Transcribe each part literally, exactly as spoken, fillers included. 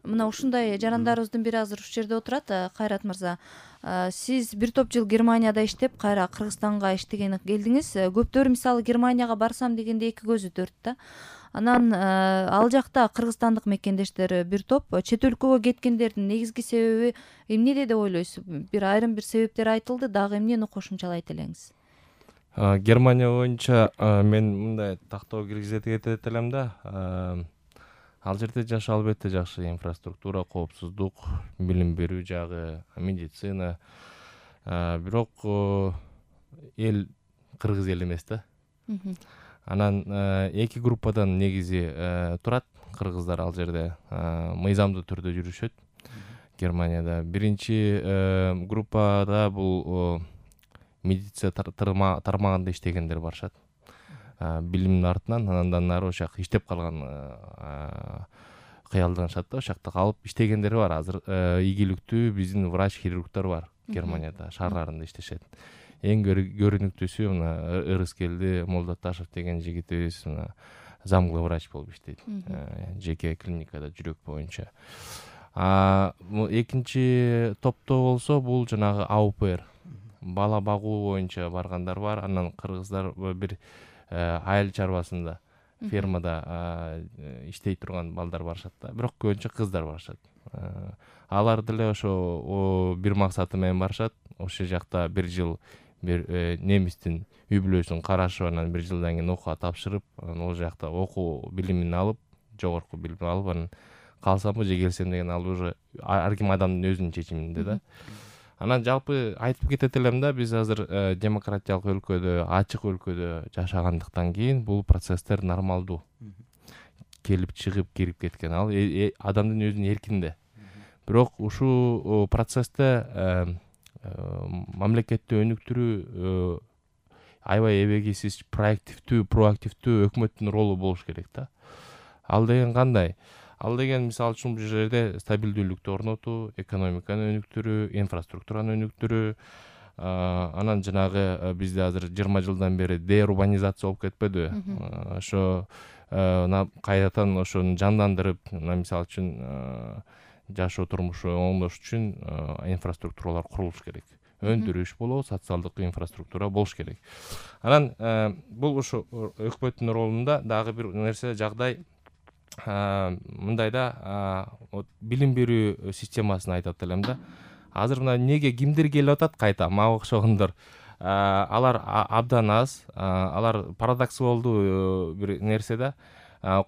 мына ушундай жарандарыбыздын бири азыр ушул жерде отурат, Кайрат мырза. Сиз бир топ жыл Германияда иштеп, кайра Кыргызстанга иштегени келдиңиз. Көптөр мисалы Германияга барсам дегенде эки көзү төрт да. Анан ал жакта кыргызстандык мекендештер бир топ, чет өлкөгө кеткендердин негизги себеби эмнеде деп ойлойсуз? Бир айрым бир себептер айтылды, дагы эмнени кошумчалай элеңиз? Германия боюнча мен мындай тактоо киргизе кетет элем да. Ал жерде жашоо албетте жакшы, инфраструктура, коопсуздук, билим берүү жагы, медицина. Бирок эл кыргыз эл эмес да. Анан эки группадан негизи турат кыргыздар ал жерде, мыйзамдуу түрдө жүрүшөт Германияда. Биринчи группада бул медицина тармагында иштегендер барышат. Билимдин артынан, андан нары ошак иштеп калган кыялданышат да, ошакта калып иштегендер бар. Азыр ийгиликтүү биздин врач-хирургдар бар Германияда, шаарларында иштешет. Эң көрүнүктүүсү мына Ырыскелди Молдоташев деген жигитибиз мына замглы врач болуп иштейт. Жеке клиникада жүрөк боюнча. Экинчи топто болсо бул жанагы АУПР, бала багуу боюнча баргандар бар. Анан кыргыздар бир айыл чарбасында, фермада иштей турган балдар барышат да. Бирок көбүнчө кыздар барышат. Алар деле ошо бир максаты менен барышат. Ошол жакта бир жыл бир немистин үй бүлөсүн карашып, анан бир жылдан кийин окууга тапшырып, анан ол жакта окуу билимин алып, жогорку билим алып, анан калсамбы же келсем деген ал уже ар ким адамдын өзүнүн чечиминде да. Анан жалпы айтып кетет элем да, биз азыр демократиялык өлкөдө, ачык өлкөдө жашагандыктан кийин бул процесстер нормалдуу. Келип чыгып, кирип кеткен ал адамдын өзүнүн эркинде. Бирок ушул процессте мамлекетти өнүктүрүү аябай эбегисиз, проактивдүү, проактивдүү өкмөттүн ролу болуш керек да. Ал деген кандай? Ал деген мисалы үчүн бул жерде стабилдүүлүктү орнотуу, экономиканы өнүктүрүү, инфраструктураны өнүктүрүү, анан жанагы бизде азыр жыйырма жылдан бери деурбанизация болуп кетпедиби? Ошо кайрадан ошону жандандырып, мисалы үчүн жашоо турмушу оңдош үчүн инфраструктуралар курулуш керек. Өндүрүш болобу, социалдык инфраструктура болуш керек. Анан бул ошо өкмөттүн ролунда дагы бир нерсе жагдай мындай да, билим берүү системасын айтат элем да. Азыр мына неге кимдер келип атат кайта, мага окшогондор. Алар абдан аз, алар парадоксуалдуу бир нерсе да.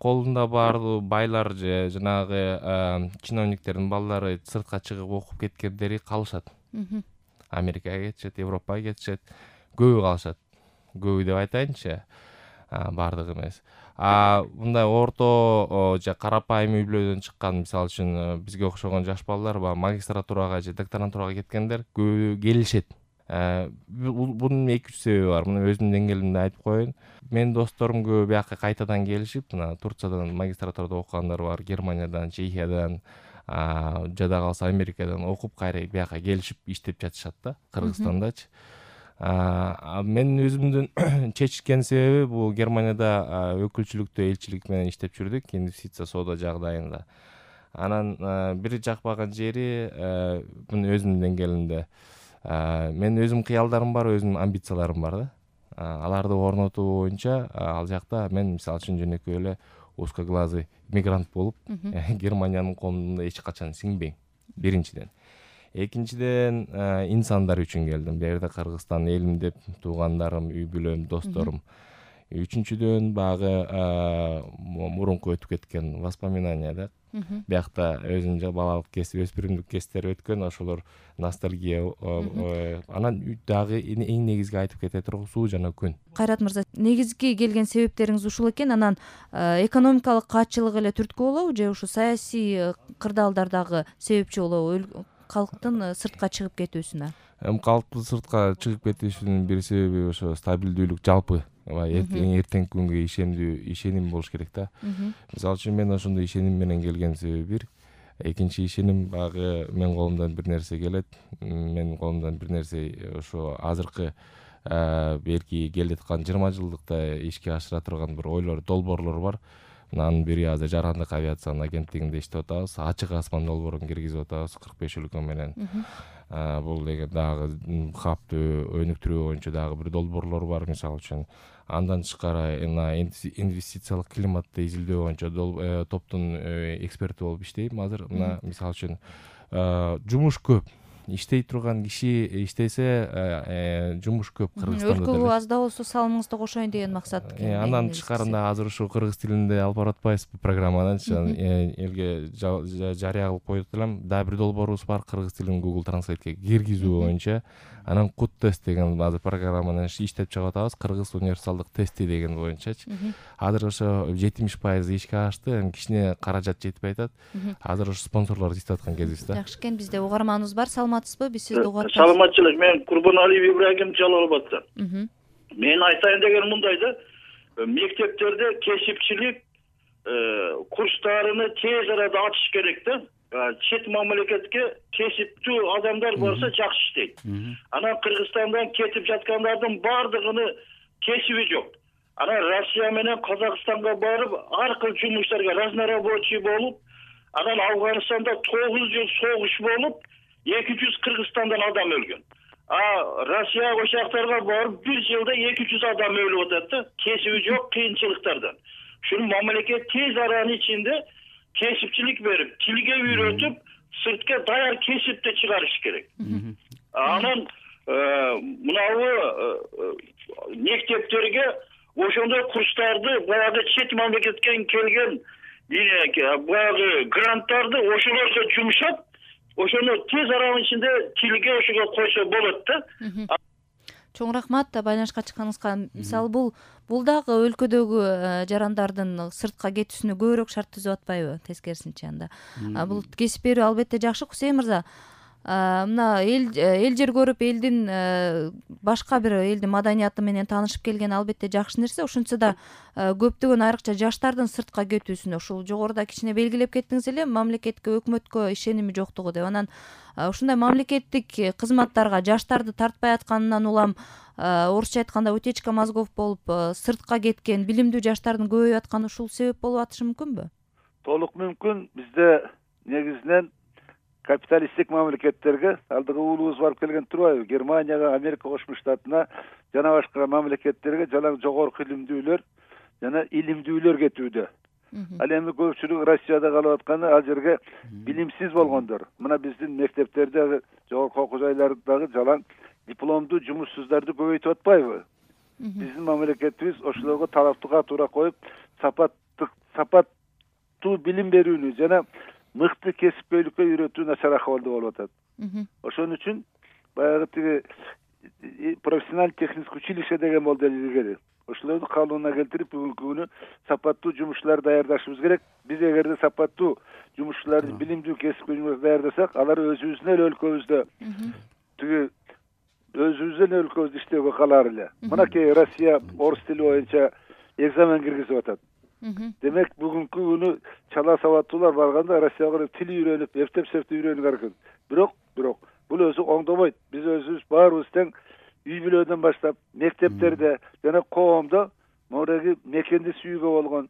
Колунда баардыгы байлар же жанагы чиновниктердин балдары сыртка чыгып окуп кеткендери калышат. Америкага кетишет, Европага кетишет, көбү калышат. Көбү деп айтайынчы, баардыгы эмес. А мындай орто же карапайым үй бүлөдөн чыккан, мисалы үчүн бизге окшогон жаш балдар бар, магистратурага же докторантурага кеткендер көбү келишет. Бунун эки үч себеби бар. Мына өзүмдүн деңгээлимде айтып коеюн. Менин досторум көбү бияка кайтадан келишип, мына Турциядан магистратурада окугандар бар, Германиядан, Чехиядан, жада калса Америкадан окуп кайра бияка келишип иштеп жатышат да, Кыргызстандачы. Мен өзүмдүн чечкен себеби бул Германияда өкүлчүлүктө элчилик менен иштеп жүрдүк, инвестиция соода жагдайында. Анан бир жакпаган жери мына өзүмдүн деңгээлимде мен өзүм кыялдарым бар, өзүмдүн амбицияларым бар да. Аларды орнотуу боюнча ал жакта мен мисалы үчүн жөнөкөй эле узкоглазый мигрант болуп Германиянын коомуна эч качан сиңбейм. Биринчиден. Экинчиден инсандар үчүн келдим. Бул жерде Кыргызстан элим деп туугандарым, үй бүлөм, досторум. Үчүнчүдөн багы мурунку өтүп кеткен воспоминания да. Биякта өзүнүн балалык кесип, өспүрүмдүк кесиптер өткөн, ошолор ностальгия. Анан дагы эң негизги айтып кете турган суу жана күн. Кайрат мырза, негизги келген себептериңиз ушул экен. Анан экономикалык каатчылык эле түрткү болобу же ушу саясий кырдаалдар дагы себепчи болобу калктын сыртка чыгып кетүүсүнө? Эми калктын сыртка чыгып кетүүсүнүн бир себеби ошо стабилдүүлүк жалпы. Эртеңки күнгө ишендүү, ишеним болуш керек да. Мисалы үчүн мен ошондой ишеним менен келген себеби бир. Экинчи ишеним багы мен колумдан бир нерсе келет. Менин колумдан бир нерсе ошо азыркы белки келе аткан жыйырма жылдыкта ишке ашыра турган бир ойлор, долбоорлор бар. Анын бири азыр жарандык авиациянын агенттигинде иштеп атабыз. Ачык асман долбоорун киргизип атабыз кырк беш өлкө менен. Бул деген дагы хапты өнүктүрүү боюнча дагы бир долбоорлор бар, мисалы үчүн. Андан тышкары инвестициялык климатты изилдөө боюнча топтун эксперти болуп иштейм азыр. Мына мисалы үчүн жумуш көп. Иштей турган киши иштесе, жумуш көп Кыргызстанда. Өлкөгө аз да болсо салымыңызды кошоюн деген максат. Андан тышкарында азыр ушу кыргыз тилинде алып баратпайбызбы программаны, элге жарыя кылып коюп элем. Дагы бир долбоорубуз бар, кыргыз тилин Google Translate'ке киргизүү боюнча. Анан кут тест деген азыр программаны иштеп чыгып атабыз. Кыргыз универсалдык тести деген боюнчачы. Азыр ошо жетимиш пайыз ишке ашты, эми кичине каражат жетпей атат. Азыр ошо спонсорлор издеп аткан кезибиз да. Жакшы экен, бизде угарманыбыз бар. Саламатсызбы? Биз сизди угат. Саламатчылык. Мен Курбаналиев Ибрагим Жалал Абадтан. Мен айтайын деген мындай да, мектептерде кесипчилик курстарыны тез арада ачыш керек да. Чет мамлекетке кесиптүү адамдар болсо жакшы иштейт. Анан Кыргызстандан кетип жаткандардын бардыгыны кесиби жок. Анан Россия менен Казакстанга барып, ар кыл жумуштарга разнорабочий болуп, анан Афганистанда тогуз жыл согуш болуп, эки жүз Кыргызстандан адам өлгөн. А Россия ошактарга барып бир жылда эки жүз адам өлүп атат да, кесиби жок кыйынчылыктардан. Шуну мамлекет тез аранын ичинде кесипчилик берип, тилге үйрөтүп, сыртка даяр кесипти чыгарыш керек. Анан мынабу мектептерге ошондой курстарды, баягы чет мамлекеттен келген баягы гранттарды ошолорго жумшап, ошону тез аранын ичинде тилге ошого койсо болот да. Чоң рахмат байланышка чыкканыңызга. Мисалы бул бул дагы өлкөдөгү жарандардын сыртка кетүүсүнө көбүрөөк шарт түзүп атпайбы, тескерисинче анда. Бул кесип берүү албетте жакшы. Кусейин мырза, мына эл эл жер көрүп, элдин башка бир элдин маданияты менен таанышып келген албетте жакшы нерсе. Ошентсе да көптөгөн айрыкча жаштардын сыртка кетүүсүнө, ушул жогоруда кичине белгилеп кеттиңиз эле, мамлекетке, өкмөткө ишеними жоктугу деп. Анан ушундай мамлекеттик кызматтарга жаштарды тартпай атканынан улам, орусча айтканда утечка мозгов болуп, сыртка кеткен билимдүү жаштардын көбөйүп атканы ушул себеп болуп атышы мүмкүнбү? Толук мүмкүн. Бизде негизинен капиталисттик мамлекеттерге алдыга уулубуз барып келген турбайбы? Германияга, Америка Кошмо Штатына жана башка мамлекеттерге жалаң жогорку илимдүүлөр жана илимдүүлөр кетүүдө. Ал эми көпчүлүк Россияда калып атканы ал жерге билимсиз болгондор. Мына биздин мектептерде, жогорку окуу жайлардагы жалаң дипломдуу жумушсуздарды көбөйтүп атпайбы? Биздин мамлекетибиз ошолорго талаптыга туура коюп, сапаттык сапаттуу билим берүүнү жана мыкты кесипкөйлүккө үйрөтүү начар акыбалда болуп атат. Ошон үчүн баягы тиги профессиональ техническое училище деген болду илгери. Ошолорду калыбына келтирип, бүгүнкү күнү сапаттуу жумушчулар даярдашыбыз керек. Биз эгерде сапаттуу жумушчуларды, билимдүү кесипкөйлүктөрдү даярдасак, алар өзүбүздүн эле өлкөбүздө тиги өзүбүздүн өлкөбүздө иштөөгө калар эле. Мынакей Россия орус тили боюнча экзамен киргизип атат. Демек бүгүнкү күнү чала сабаттуулар барганда Россияга тил үйрөнүп, эптеп-септеп үйрөнүп аркын. Бирок, бирок бул өзү оңдобойт. Биз өзүбүз баарыбыз тең үй бүлөдөн баштап мектептерде жана коомдо мореги мекенди сүйүүгө болгон,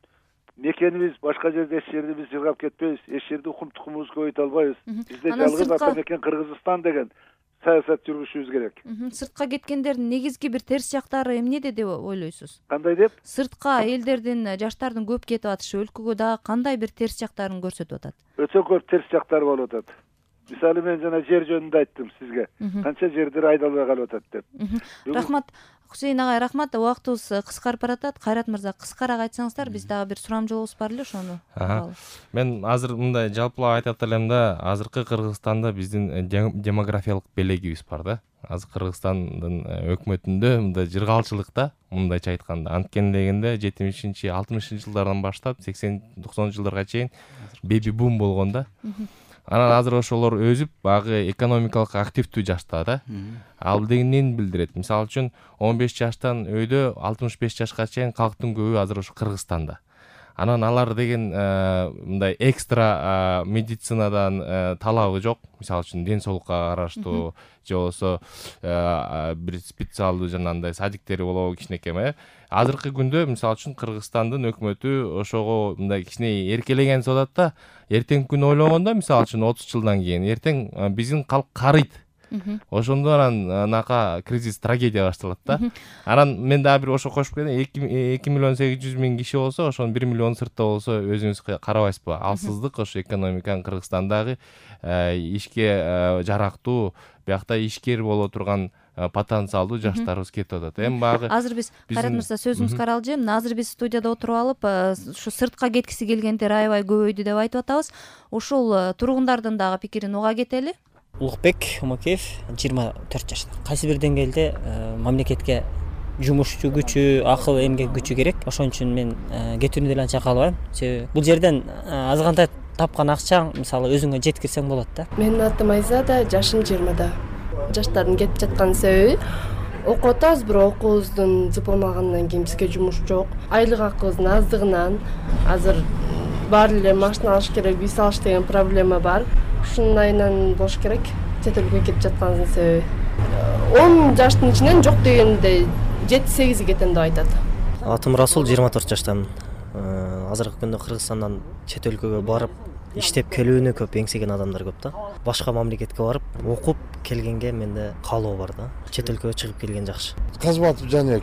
мекенибиз башка жерде эч жерде биз жыргап кетпейбиз, эч жерде укум тукумубузду көбөйтө албайбыз. Бизде жалгыз ата мекен Кыргызстан деген саясат жүргүзүшүбүз керек. Сыртка кеткендердин негизги бир терс жактары эмнеде деп ойлойсуз? Кандай деп? Сыртка элдердин, жаштардын көп кетип атышы өлкөгө дагы кандай бир терс жактарын көрсөтүп атат? Өтө көп терс жактары болуп атат. Мисалы мен жана жер жөнүндө айттым сизге. Канча жердер айдалбай калып атат деп. Рахмат. Хусейин агай, рахмат. Убактыбыз кыскарып баратат. Кайрат мырза, кыскараак айтсаңыздар, биз дагы бир сурамжылообуз бар эле, ошону. Мен азыр мындай жалпылап айтат элем да, азыркы Кыргызстанда биздин демографиялык белегибиз бар да. Азыр Кыргызстандын өкмөтүндө мындай жыргалчылык да, мындайча айтканда. Анткени дегенде жетимишинчи, алтымышынчы жылдардан баштап сексен токсонунчу жылдарга чейин беби бум болгон да. Анан азыр ошолор өзүп, багы экономикалык активдүү жашта да. Ал деген эмнени билдирет? Мисалы үчүн он беш жаштан өйдө алтымыш беш жашка чейин калктын көбү азыр ошо Кыргызстанда. Анан алар деген мындай экстра медицинадан талабы жок. Мисалы үчүн ден соолукка караштуу же болбосо бир специалдуу жанагындай садиктери болобу кичинекей э. Азыркы күндө мисалы үчүн Кыргызстандын өкмөтү ошого мындай кичине эркелеген соолат да. Эртеңки күнү ойлогондо мисалы үчүн отуз жылдан кийин эртең биздин калк карыйт. Ошондо анан анака кризис, трагедия башталат да. Анан мен дагы бир ошо кошуп кетем. эки миллион сегиз жүз миң киши болсо, ошонун бир миллион сыртта болсо өзүңүз карабайсызбы? Алсыздык ошо экономиканын Кыргызстандагы ишке жарактуу, биякта ишкер боло турган потенциалдуу жаштарыбыз кетип атат. Эми багы азыр биз Кайрат мырза сөзүңүзгө аралжы. Азыр биз студияда отуруп алып, ушу сыртка кеткиси келгендер аябай көбөйдү деп айтып атабыз. Ушул тургундардын дагы пикирин уга кетели. Улукбек Омакеев, жыйырма төрт жашта. Кайсы бир деңгээлде мамлекетке жумушчу күчү, акыл эмгек күчү керек. Ошон үчүн мен кетүүнү деле анча каалабайм. Себеби бул жерден азгандай тапкан акчаң мисалы өзүңө жеткирсең болот да. Менин атым Айзада, жашым жыйырмада. Жаштардын кетип жаткан себеби окуп атабыз, бирок окуубуздун зыпылмагандан кийин бизге жумуш жок. Айлык акыбыздын аздыгынан азыр баары эле машина алыш керек, үй салыш деген проблема бар. Ушунун айынан болуш керек. Чет элге кетип жатканыбыздын себеби он жаштын ичинен жок дегенде жети сегизи кетем деп айтат. Атым Расул, жыйырма төрт жаштамын. Азыркы күндө Кыргызстандан чет өлкөгө барып иштеп келүүнү көп эңсеген адамдар көп да. Башка мамлекетке барып окуп келгенге менде каалоо бар да. Чет өлкөгө чыгып келген жакшы. Казматов Жанек.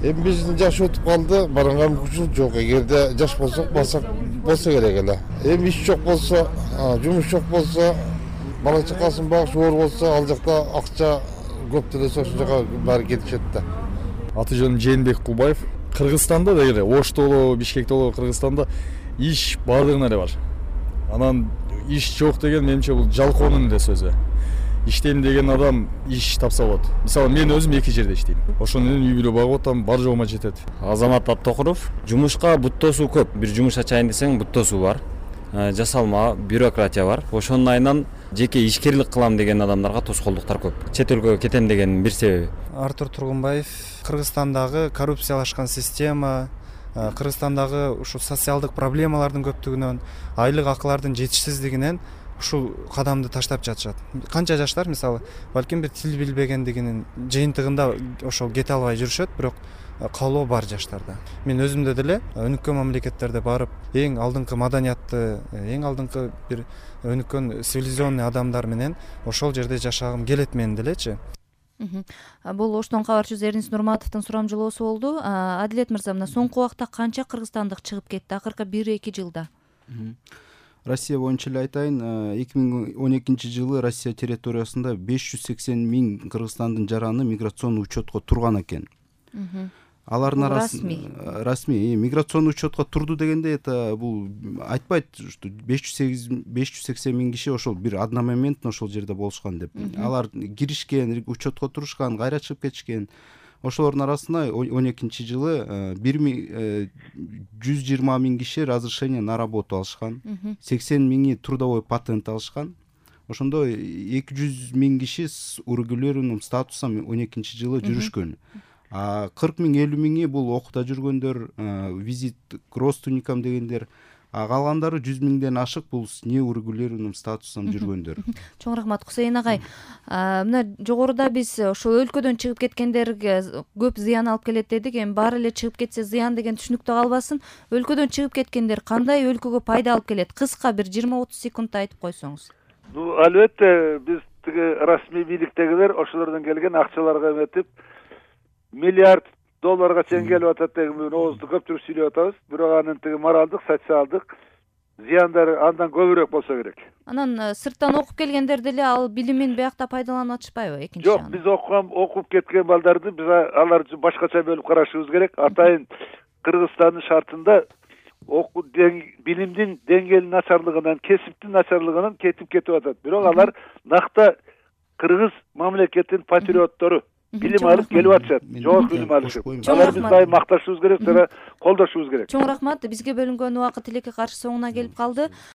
Эми биздин жаш өтүп калды, барганга мүмкүнчүлүк жок. Эгерде жаш болсок, басак болсо керек эле. Эми иш жок болсо, жумуш жок болсо, бала чакасын багыш оор болсо, ал жакта акча көп төлөсө ошол жака баары кетишет да. Аты жөнүм Жээнбек Кулбаев. Кыргызстанда да эле, Ошто болобу, Бишкекте болобу, Кыргызстанда иш баардыгына эле бар. Анан иш жок деген менимче бул жалкоонун эле сөзү. Иштейм деген адам иш тапса болот. Мисалы мен өзүм эки жерде иштейм. Ошону менен үй бүлө багып атам, бар жогума жетет. Азамат Аптокуров. Жумушка буттосуу көп. Бир жумуш ачайын десең буттосуу бар. Жасалма, бюрократия бар. Ошонун айынан жеке ишкерлик кылам деген адамдарга тоскоолдуктар көп. Чет өлкөгө кетем дегенин бир себеби. Артур Тургунбаев. Кыргызстандагы коррупциялашкан система, Кыргызстандагы ушул социалдык проблемалардын көптүгүнөн, айлык акылардын жетишсиздигинен ушул кадамды таштап жатышат. Канча жаштар мисалы, балким бир тил билбегендигинин жыйынтыгында ошол кете албай жүрүшөт, бирок каалоо бар жаштарда. Мен өзүмдө деле өнүккөн мамлекеттерде барып, эң алдыңкы маданиятты, эң алдыңкы бир өнүккөн цивилизационный адамдар менен ошол жерде жашагым келет менин делечи. Бул Оштон кабарчы Эрнис Нурматовдун сурамжылоосу болду. Адилет мырза, мына соңку убакта канча кыргызстандык чыгып кетти акыркы бир эки жылда? Россия боюнча эле айтайын, эки миң он экинчи жылы Россия территориясында беш жүз сексен миң кыргызстандын жараны миграционный учетко турган экен. Алардын арасында расмий миграционный учетко турду дегенде это бул айтпайт, что беш жүз сексен миң киши ошол бир одномоментно ошол жерде болушкан деп. Алар киришкен, учетко турушкан, кайра чыгып кетишкен. Ошолордун арасында он экинчи жылы бир миң жүз жыйырма миң киши разрешение на работу алышкан, сексен миңи трудовой патент алышкан. Ошондо эки жүз миң киши с урегулированным статусом он экинчи жылы жүрүшкөн. А кырк миң элүү миңи бул окууда жүргөндөр, визит к родственникам дегендер, а калгандары жүз миңден ашык бул с неурегулированным статусом жүргөндөр. Чоң рахмат Кусейин агай. Мына жогоруда биз ошол өлкөдөн чыгып кеткендерге көп зыян алып келет дедик. Эми баары эле чыгып кетсе зыян деген түшүнүктүү калбасын. Өлкөдөн чыгып кеткендер кандай өлкөгө пайда алып келет? Кыска бир жыйырма отуз секундта айтып койсоңуз. Ну, албетте биз тиги расмий бийликтегилер ошолордон келген акчаларга эметип миллиард долларга чейин келип атат деген оозду көптүрүп сүйлөп атабыз. Бирок анын тиги моралдык, социалдык зыяндары андан көбүрөөк болсо керек. Анан сырттан окуп келгендер деле ал билимин биякта пайдаланып атышпайбы экинчи жагы? Жок, биз окуган, окуп кеткен балдарды биз аларды башкача бөлүп карашыбыз керек. Атайын Кыргызстандын шартында окуу билимдин деңгээлинин начарлыгынан, кесиптин начарлыгынан кетип кетип атат. Бирок алар накта кыргыз мамлекетинин патриоттору. Билим алып келип атышат. Жогорку билим алышып. Алар биз дайым макташыбыз керек, жана колдошубуз керек. Чоң рахмат. Бизге бөлүнгөн убакыт тилекке каршы соңуна келип калды.